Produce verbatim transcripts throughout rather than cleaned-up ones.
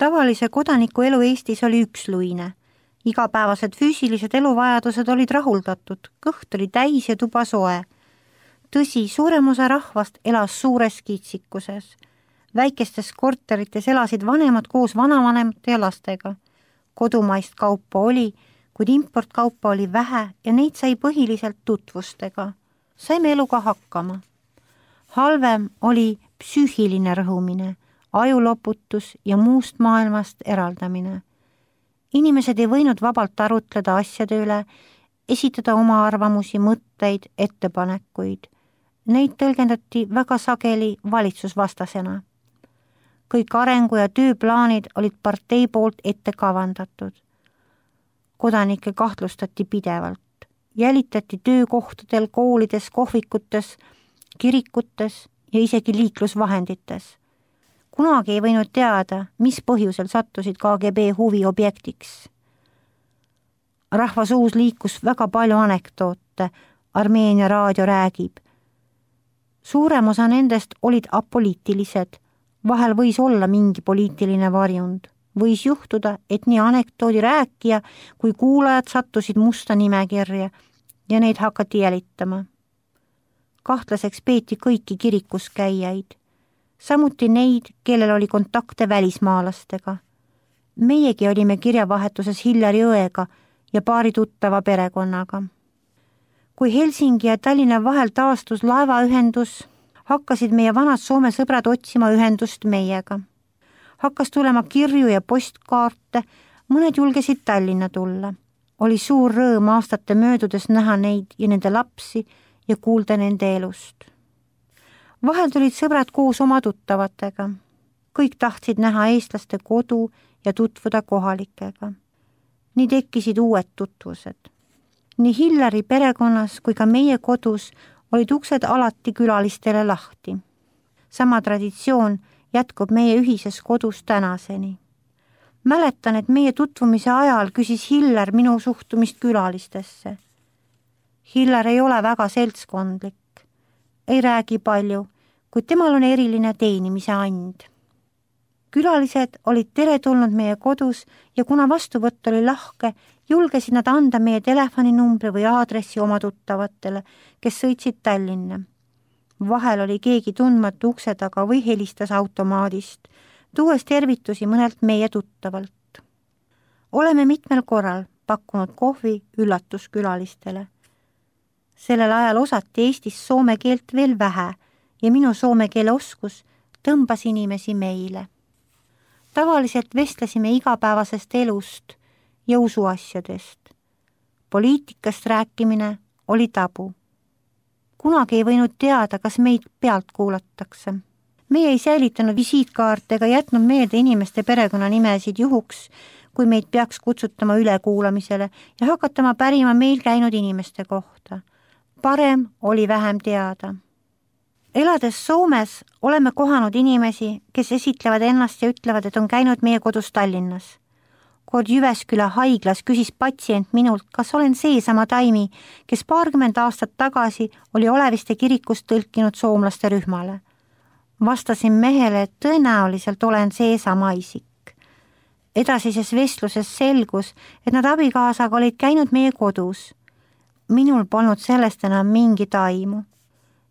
Tavalise kodaniku elu Eestis oli üksluine. Igapäevased füüsilised eluvajadused olid rahuldatud, kõht oli täis ja tuba soe. Tõsi, suurem osa rahvast elas suures kitsikuses. Väikestes korterites elasid vanemad koos vanavanemate ja lastega. Kodumaist kaupa oli, kuid importkaupa oli vähe ja neid sai põhiliselt tutvustega. Saime eluga hakkama. Halvem oli psüühiline rõhumine, ajuloputus ja muust maailmast eraldamine. Inimesed ei võinud vabalt arutleda asjade üle, esitada oma arvamusi, mõtteid, ettepanekuid. Neid tõlgendati väga sageli valitsusvastasena. Kõik arengu- ja tööplaanid olid partei poolt ette kavandatud. Kodanikke kahtlustati pidevalt. Jälitati töökohtadel, koolides, kohvikutes, kirikutes ja isegi liiklusvahendites. Kunagi ei võinud teada, mis põhjusel sattusid K G B huvi objektiks. Rahva suus liikus väga palju anekdoote, Armeenia raadio räägib. Suurem osa nendest olid apoliitilised, vahel võis olla mingi poliitiline varjund. Võis juhtuda, et nii anekdoodi rääkija kui kuulajad sattusid musta nimekirja ja neid hakati jälitama. Kahtlaseks peeti kõiki kirikus käijaid, samuti neid, kellel oli kontakte välismaalastega. Meiegi olime kirjavahetuses Hillari õega ja paari tuttava perekonnaga. Kui Helsingi ja Tallinna vahel taastus laevaühendus, hakkasid meie vanad Soome sõbrad otsima ühendust meiega. Hakkas tulema kirju ja postkaarte, mõned julgesid Tallinna tulla. Oli suur rõõm aastate möödudes näha neid ja nende lapsi ja kuulda nende elust. Vahel tulid sõbrad koos oma tuttavatega. Kõik tahtsid näha eestlaste kodu ja tutvuda kohalikega. Nii tekkisid uued tutvused. Nii Hillari perekonnas kui ka meie kodus olid uksed alati külalistele lahti. Sama traditsioon jätkub meie ühises kodus tänaseni. Mäletan, et meie tutvumise ajal küsis Hillar minu suhtumist külalistesse. Hillar ei ole väga seltskondlik, ei räägi palju, kuid temal on eriline teenimise and. Külalised olid teretulnud meie kodus ja kuna vastuvõtt oli lahke, julgesid nad anda meie telefoninumbri või aadressi oma tuttavatele, kes sõitsid Tallinna. Vahel oli keegi tundmatu ukse taga või helistas automaadist, tuues tervitusi mõnelt meie tuttavalt. Oleme mitmel korral pakkunud kohvi üllatuskülalistele. Sellel ajal osati Eestis soome keelt veel vähe ja minu soome keele oskus tõmbas inimesi meile. Tavaliselt vestlesime igapäevasest elust ja usuasjadest. Poliitikast rääkimine oli tabu. Kunagi ei võinud teada, kas meid pealt kuulatakse. Meie ei säilitanud visiitkaarte ega jätnud meelde inimeste perekonnanimesid juhuks, kui meid peaks kutsutama ülekuulamisele ja hakatama pärima meil käinud inimeste kohta. Parem oli vähem teada. Elades Soomes oleme kohanud inimesi, kes esitlevad ennast ja ütlevad, et on käinud meie kodus Tallinnas. Kord Jyväsküla haiglas küsis patsient minult, kas olen seesama Taimi, kes paarkümmend aastat tagasi oli Oleviste kirikust tõlkinud soomlaste rühmale. Vastasin mehele, et tõenäoliselt olen seesama isik. Edasises vestluses selgus, et nad abikaasaga olid käinud meie kodus. Minul polnud sellest enam mingit aimu.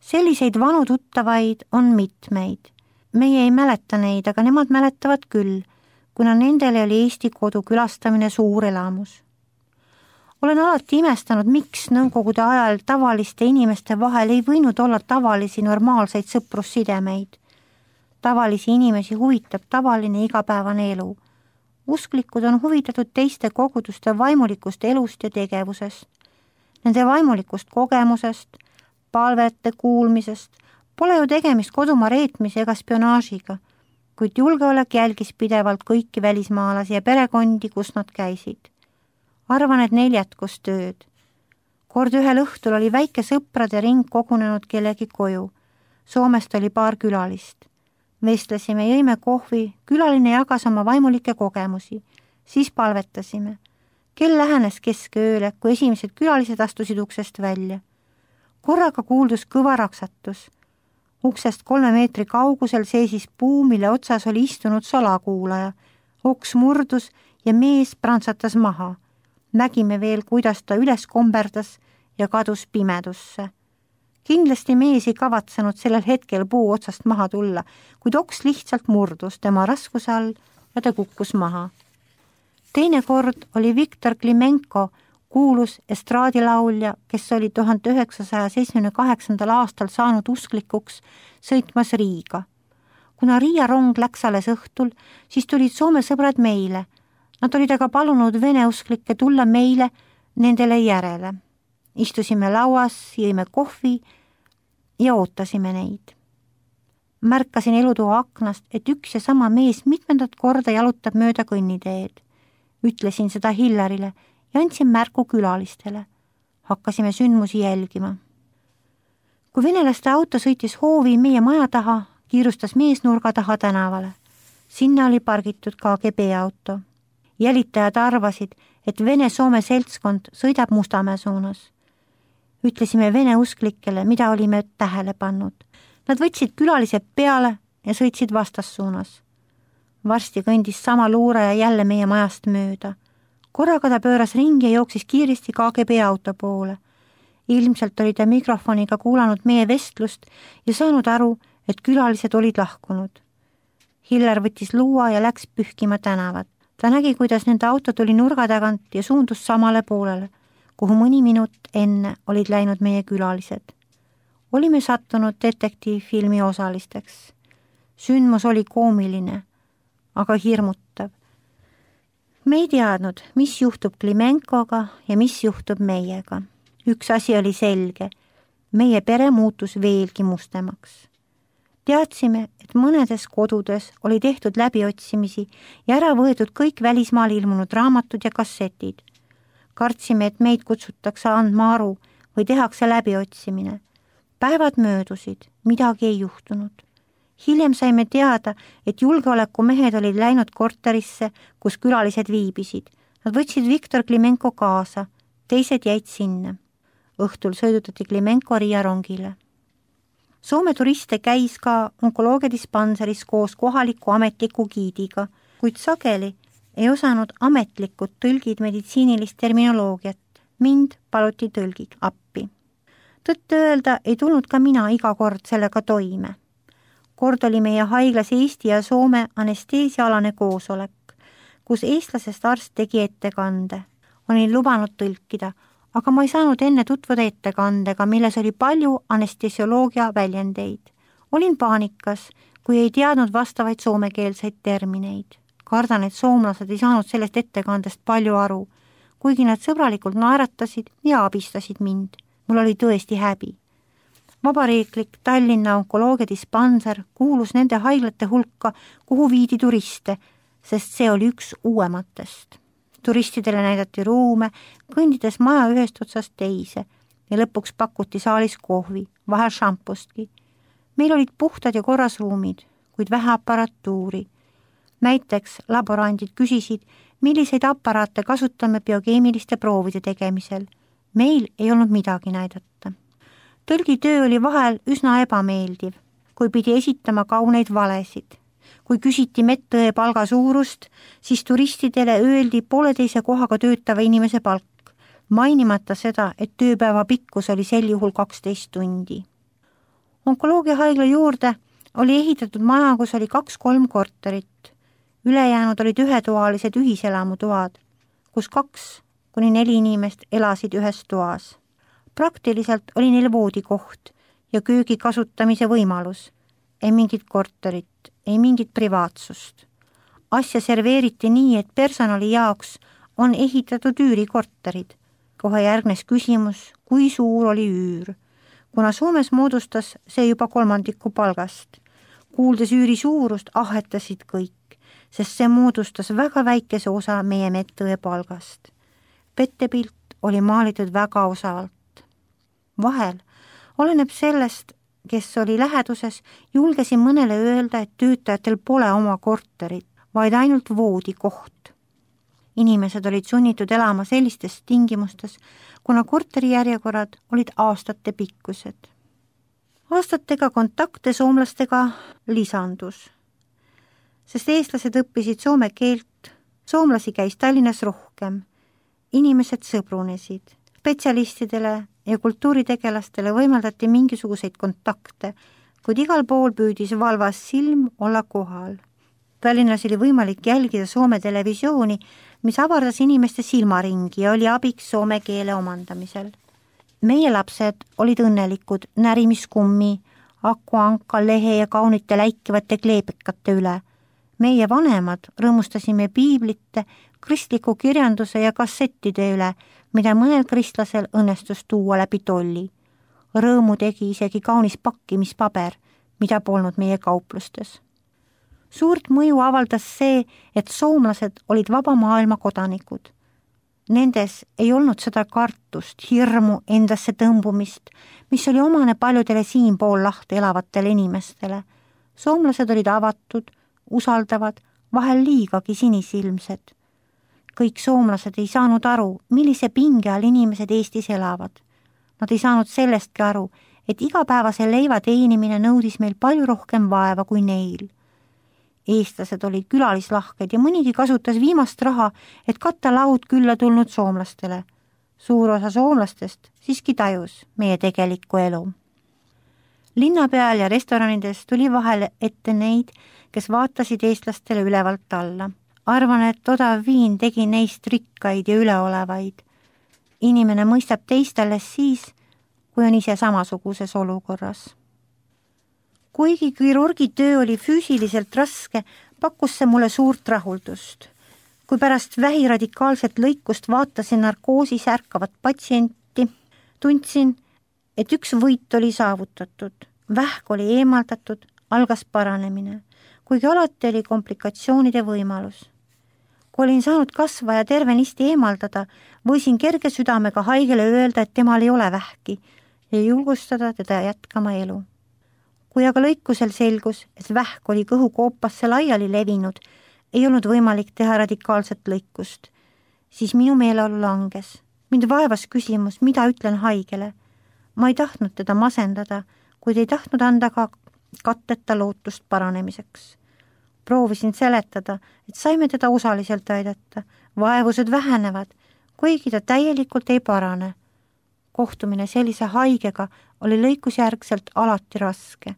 Selliseid vanu tuttavaid on mitmeid. Meie ei mäleta neid, aga nemad mäletavad küll, kuna nendele oli Eesti kodu külastamine suur elamus. Olen alati imestanud, miks nõukogude ajal tavaliste inimeste vahel ei võinud olla tavalisi normaalseid sõprussidemeid. Tavalisi inimesi huvitab tavaline igapäevane elu. Usklikud on huvitatud teiste koguduste vaimulikust elust ja tegevusest. Nende vaimulikust kogemusest, palvete kuulmisest, pole ju tegemist kodumaa reetmise ega spionaažiga, kuid julgeolek jälgis pidevalt kõiki välismaalasi ja perekondi, kus nad käisid. Arvan, et neil jätkus tööd. Kord ühel õhtul oli väike sõprade ring kogunenud kellegi koju. Soomest oli paar külalist. Vestlesime, jõime kohvi, külaline jagas oma vaimulikke kogemusi. Siis palvetasime. Kell lähenes keskööle, kui esimesed külalised astusid uksest välja. Korraga kuuldus kõva raksatus. Uksest kolme meetri kaugusel seisis puu, mille otsas oli istunud salakuulaja. Oks murdus ja mees prantsatas maha. Nägime veel, kuidas ta üles komberdas ja kadus pimedusse. Kindlasti mees ei kavatsenud sellel hetkel puu otsast maha tulla, kuid oks lihtsalt murdus tema raskuse all ja ta kukkus maha. Teine kord oli Viktor Klimenko, kuulus estraadilaulja, kes oli tuhande üheksasaja seitsmekümne kaheksandal aastal saanud usklikuks sõitmas Riiga. Kuna Riia rong läks alles õhtul, siis tulid Soome sõbrad meile. Nad olid aga palunud vene usklikke tulla meile nendele järele. Istusime lauas, jõime kohvi ja ootasime neid. Märkasin elutoa aknast, et üks ja sama mees mitmendat korda jalutab mööda kõnniteed. Ütlesin seda Hillarile ja andsin märku külalistele. Hakkasime sündmusi jälgima. Kui venelaste auto sõitis hoovi meie maja taha, kiirustas mees nurga taha tänavale. Sinna oli pargitud K G B auto. Jälitajad arvasid, et Vene-Soome seltskond sõidab Mustamäe suunas. Ütlesime vene usklikele, mida olime tähele pannud. Nad võtsid külalised peale ja sõitsid vastassuunas. Varsti kõndis sama luuraja jälle meie majast mööda. Korraga ta pööras ringi ja jooksis kiiresti K G B auto poole. Ilmselt oli ta mikrofoniga kuulanud meie vestlust ja saanud aru, et külalised olid lahkunud. Hillar võttis luua ja läks pühkima tänavat. Ta nägi, kuidas nende auto tuli nurga tagant ja suundus samale poolele, kuhu mõni minut enne olid läinud meie külalised. Olime sattunud detektiivfilmi osalisteks. Sündmus oli koomiline, aga hirmutav. Me ei teadnud, mis juhtub Klimenkoga ja mis juhtub meiega. Üks asi oli selge. Meie pere muutus veelgi mustemaks. Teadsime, et mõnedes kodudes oli tehtud läbiotsimisi ja ära võetud kõik välismaal ilmunud raamatud ja kassetid. Kartsime, et meid kutsutakse andma aru või tehakse läbiotsimine. Päevad möödusid, midagi ei juhtunud. Hiljem saime teada, et julgeolekumehed olid läinud korterisse, kus külalised viibisid. Nad võtsid Viktor Klimenko kaasa, teised jäid sinna. Õhtul sõidutati Klimenko Riia rongile. Soome turiste käis ka onkoloogiadispanseris koos kohaliku ametliku giidiga, kuid sageli ei osanud ametlikud tõlgid meditsiinilist terminoloogiat. Mind paluti tõlgid appi. Tõtt öelda ei tulnud ka mina iga kord sellega toime. Kord oli meie haiglas Eesti ja Soome anesteesialane koosolek, kus eestlasest arst tegi ettekande. Olin lubanud tõlkida, aga ma ei saanud enne tutvuda ettekandega, milles oli palju anestesioloogia väljendeid. Olin paanikas, kui ei teadnud vastavaid soomekeelseid termineid. Kardan, et soomlased ei saanud sellest ettekandest palju aru, kuigi nad sõbralikult naeratasid ja abistasid mind. Mul oli tõesti häbi. Vabariiklik Tallinna onkoloogiadispanser kuulus nende haiglate hulka, kuhu viidi turiste, sest see oli üks uuematest. Turistidele näidati ruume, kõndides maja ühest otsast teise ja lõpuks pakuti saalis kohvi, vahel šampustki. Meil olid puhtad ja korras ruumid, kuid vähe aparatuuri. Näiteks laborandid küsisid, milliseid aparaate kasutame biokeemiliste proovide tegemisel. Meil ei olnud midagi näidata. Tõlgitöö oli vahel üsna ebameeldiv, kui pidi esitama kauneid valesid. Kui küsiti medõe palga suurust, siis turistidele öeldi pooleteise kohaga töötava inimese palk, mainimata seda, et tööpäeva pikkus oli sel juhul kaksteist tundi. Onkoloogiahaigla juurde oli ehitatud maja, kus oli kaks-kolm korterit. Ülejäänud olid ühetoalised ühiselamutoad, kus kaks kuni neli inimest elasid ühes toas. Praktiliselt oli neil voodikoht ja köögi kasutamise võimalus. Ei mingit korterit, ei mingit privaatsust. Asja serveeriti nii, et personali jaoks on ehitatud üürikorterid. Kohe järgnes küsimus, kui suur oli üür. Kuna Soomes moodustas see juba kolmandiku palgast. Kuuldes üüri suurust ahetasid kõik, sest see moodustas väga väikese osa meie medõe palgast. Pettepilt oli maalitud väga osavalt. Vahel oleneb sellest, kes oli läheduses, julgesin mõnele öelda, et töötajatel pole oma korterit, vaid ainult voodikoht. Inimesed olid sunnitud elama sellistes tingimustes, kuna korterijärjekorrad olid aastate pikkused. Aastatega kontakte soomlastega lisandus. sest eestlased õppisid soome keelt, soomlasi käis Tallinnas rohkem, inimesed sõbrunesid, spetsialistidele ja kultuuritegelastele võimaldati mingisuguseid kontakte, kuid igal pool püüdis valvas silm olla kohal. Tallinnas oli võimalik jälgida Soome televisiooni, mis avardas inimeste silmaringi ja oli abiks soome keele omandamisel. Meie lapsed olid õnnelikud närimiskummi, akuanka, lehe ja kaunite läikivate kleebekate üle. Meie vanemad rõõmustasime piiblite, kristliku kirjanduse ja kassettide üle, mida mõnel kristlasel õnnestus tuua läbi tolli. Rõõmu tegi isegi kaunis pakkimispaber, mida polnud meie kauplustes. Suurt mõju avaldas see, et soomlased olid vaba maailma kodanikud. Nendes ei olnud seda kartust, hirmu, endasse tõmbumist, mis oli omane paljudele siinpool lahti elavatele inimestele. Soomlased olid avatud, usaldavad, vahel liigagi sinisilmsed. Kõik soomlased ei saanud aru, millise pinge all inimesed Eestis elavad. Nad ei saanud sellestki aru, et igapäevase leiva teenimine nõudis meil palju rohkem vaeva kui neil. Eestlased olid külalislahked ja mõnigi kasutas viimast raha, et katta laud külla tulnud soomlastele. Suur osa soomlastest siiski tajus meie tegelikku elu. Linna peal ja restoranides tuli vahel ette neid, kes vaatasid eestlastele ülevalt alla. Arvan, et odav viin tegi neist rikkaid ja üleolevaid. Inimene mõistab teist alles siis, kui on ise samasuguses olukorras. Kuigi kirurgi töö oli füüsiliselt raske, pakkus see mulle suurt rahuldust. Kui pärast vähiradikaalset lõikust vaatasin narkoosis ärkavat patsienti, tundsin, et üks võit oli saavutatud. Vähk oli eemaldatud, algas paranemine, kuigi alati oli komplikatsioonide võimalus. Kui olin saanud kasva ja tervenisti eemaldada, võisin kerge südamega haigele öelda, et temal ei ole vähki ja julgustada teda jätkama elu. Kui aga lõikusel selgus, et vähk oli kõhukoopasse laiali levinud, ei olnud võimalik teha radikaalset lõikust, siis minu meeleolu langes. Mind vaevas küsimus, mida ütlen haigele. Ma ei tahtnud teda masendada, kuid ei tahtnud anda ka katteta lootust paranemiseks. Proovisin seletada, et saime teda osaliselt aidata, vaevused vähenevad, kuigi ta täielikult ei parane. Kohtumine sellise haigega oli lõikusjärgselt alati raske.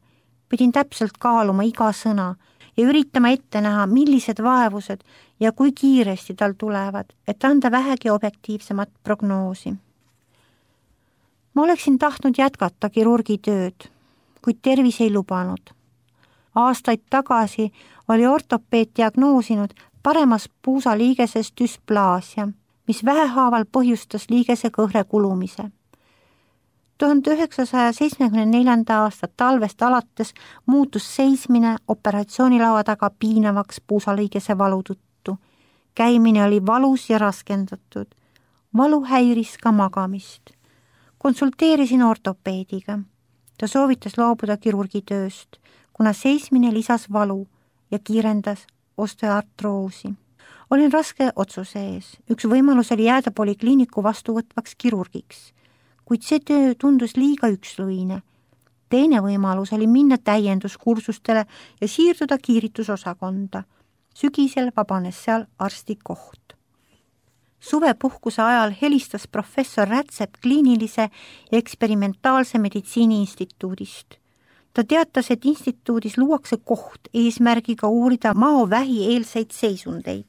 Pidin täpselt kaaluma iga sõna ja üritama ette näha, millised vaevused ja kui kiiresti tal tulevad, et anda vähegi objektiivsemat prognoosi. Ma oleksin tahtnud jätkata kirurgi tööd, kuid tervis ei lubanud. Aastaid tagasi oli ortopeed diagnoosinud paremas puusaliigeses dysplaasia, mis vähehaaval põhjustas liigese kõhre kulumise. tuhande üheksasaja seitsmekümne neljanda aasta talvest alates muutus seismine operatsioonilaua taga piinavaks puusaliigese valu tõttu. Käimine oli valus ja raskendatud. Valu häiris ka magamist. Konsulteerisin ortopeediga. Ta soovitas loobuda kirurgi tööst, kuna seismine lisas valu ja kiirendas osteoartroosi. Olin raske otsuse ees. Üks võimalus oli jääda polikliiniku vastuvõtvaks kirurgiks, kuid see töö tundus liiga üksluine. Teine võimalus oli minna täienduskursustele ja siirduda kiiritusosakonda. Sügisel vabanes seal arsti koht. Suvepuhkuse ajal helistas professor Rätsep kliinilise ja eksperimentaalse meditsiini instituudist. Ta teatas, et instituudis luuakse koht eesmärgiga uurida maovähi eelseid seisundeid.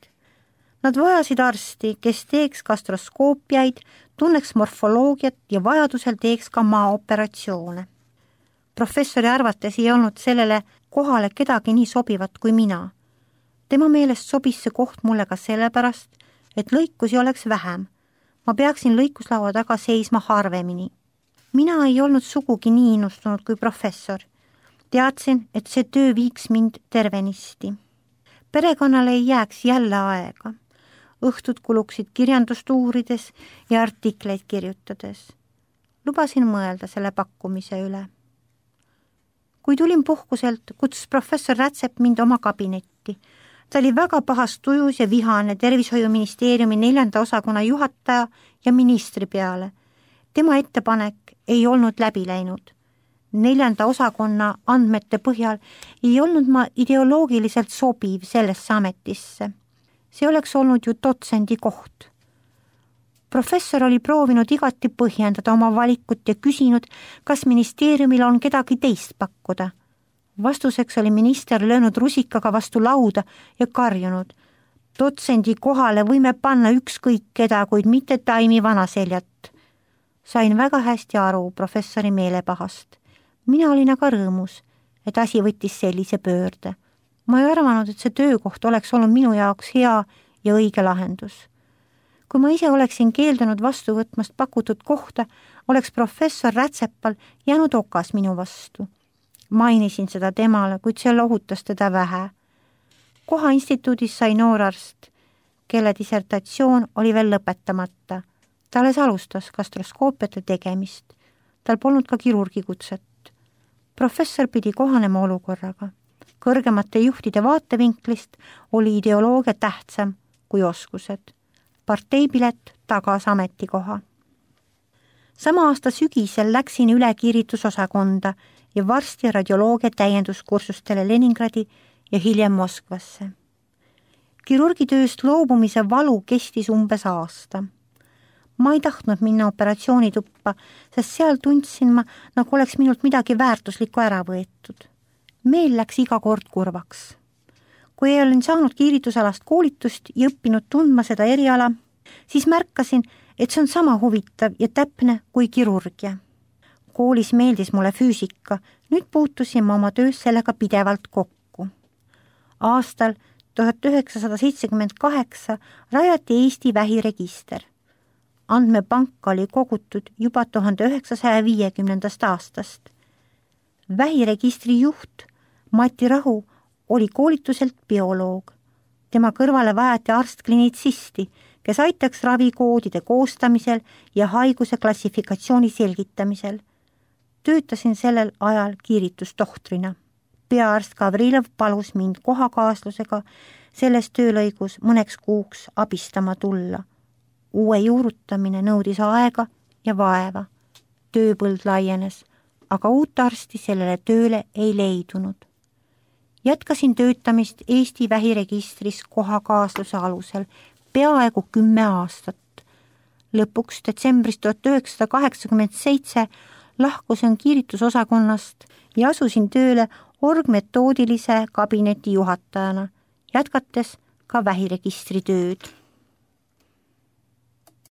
Nad vajasid arsti, kes teeks gastroskoopiaid, tunneks morfoloogiat ja vajadusel teeks ka maaoperatsioone. Professori arvates ei olnud sellele kohale kedagi nii sobivat kui mina. Tema meelest sobis see koht mulle ka sellepärast, et lõikusi oleks vähem. Ma peaksin lõikuslaua taga seisma harvemini. Mina ei olnud sugugi nii innustunud kui professor. Teadsin, et see töö viiks mind tervenisti. Perekonnale ei jääks jälle aega. Õhtud kuluksid kirjandust uurides ja artikleid kirjutades. Lubasin mõelda selle pakkumise üle. Kui tulin puhkuselt, kutsus professor Rätsep mind oma kabinetti. Ta oli väga pahas tujus ja vihane tervishoiuministeeriumi neljanda osakonna juhataja ja ministri peale. Tema ettepanek ei olnud läbi läinud. neljanda osakonna andmete põhjal ei olnud ma ideoloogiliselt sobiv sellesse ametisse. See oleks olnud ju dotsendi koht. Professor oli proovinud igati põhjendada oma valikut ja küsinud, kas ministeeriumil on kedagi teist pakkuda. Vastuseks oli minister löönud rusikaga vastu lauda ja karjunud. Dotsendi kohale võime panna ükskõik keda, kuid mitte Taimi vanaseljat. Sain väga hästi aru professori meelepahast. Mina olin aga rõõmus, et asi võttis sellise pöörde. Ma ei arvanud, et see töökoht oleks olnud minu jaoks hea ja õige lahendus. Kui ma ise oleksin keeldunud vastu võtmast pakutud kohta, oleks professor Rätsepal jäänud okas minu vastu. Mainisin seda temale, kuid see lohutas teda vähe. Koha instituudis sai noorarst, kelle dissertatsioon oli veel lõpetamata. Ta alles alustas gastroskoopiate tegemist. Tal polnud ka kirurgikutset. Professor pidi kohanema olukorraga. Kõrgemate juhtide vaatevinklist oli ideoloogia tähtsam kui oskused. Parteipilet tagas ametikoha. Sama aasta sügisel läksin üle kiiritusosakonda ja varsti radioloogia täienduskursustele Leningradi ja hiljem Moskvasse. Kirurgitööst loobumise valu kestis umbes aasta. Ma ei tahtnud minna operatsioonituppa, sest seal tundsin ma, nagu oleks minult midagi väärtuslikku ära võetud. Meel läks iga kord kurvaks. Kui olin saanud kiiritusalast koolitust ja õppinud tundma seda eriala, siis märkasin, et see on sama huvitav ja täpne kui kirurgia. Koolis meeldis mulle füüsika, nüüd puutusin ma oma töös sellega pidevalt kokku. Aastal tuhat üheksasada seitsekümmend kaheksa rajati Eesti vähiregister. Andmepank oli kogutud juba tuhande üheksasaja viiekümnendast aastast. Vähiregistri juht Mati Rahu oli koolituselt bioloog. Tema kõrvale vajati arstklinicisti, kes aitaks ravikoodide koostamisel ja haiguse klassifikatsiooni selgitamisel. Töötasin sellel ajal kiiritustohtrina. Peaarst Gavrilov palus mind kohakaaslusega selles töölõigus mõneks kuuks abistama tulla. Uue juurutamine nõudis aega ja vaeva. Tööpõld laienes, aga uut arsti sellele tööle ei leidunud. Jätkasin töötamist Eesti vähiregistris kohakaasluse alusel peaaegu kümme aastat. Lõpuks detsembris tuhat üheksasada kaheksakümmend seitse lahkusin kiiritusosakonnast ja asusin tööle orgmetoodilise kabineti juhatajana, jätkates ka vähiregistri tööd.